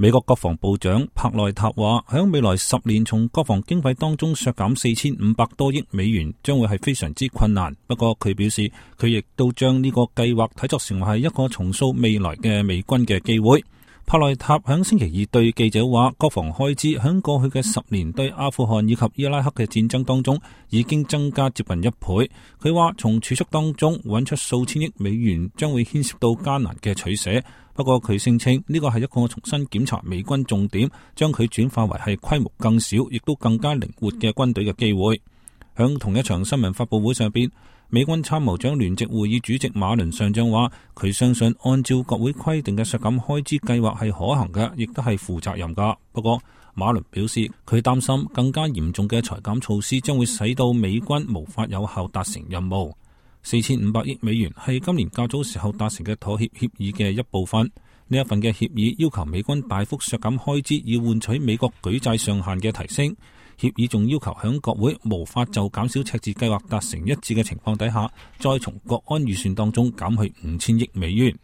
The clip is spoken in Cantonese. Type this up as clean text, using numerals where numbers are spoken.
美國國防部長帕內塔話，喺未來10年從國防經費當中削減4500多億美元，將會係非常之困難。不過佢表示，佢亦都將呢個計劃睇作成為係一個重塑未來嘅美軍嘅機會。帕內塔喺星期二對記者話，國防開支喺過去嘅10年對阿富汗以及伊拉克嘅戰爭當中已經增加接近1倍。佢話從儲蓄當中揾出數千億美元將會牽涉到艱難嘅取捨。不過佢聲稱呢個係一個重新檢查美軍重點，將佢轉化為係規模更小亦都更加靈活嘅軍隊嘅機會。喺同一場新聞發佈會上邊，美軍參謀長聯席會議主席馬倫上將話，佢相信按照國會規定嘅削減開支計劃係可行嘅，亦都係負責任噶。不過馬倫表示，佢擔心更加嚴重嘅裁減措施將會使到美軍無法有效達成任務。4500億美元係今年較早時候達成嘅妥協協議嘅一部分。呢一份嘅協議要求美軍大幅削減開支，以換取美國舉債上限嘅提升。協議仲要求響國會無法就減少赤字計劃達成一致嘅情況底下，再從國安預算當中減去5000億美元。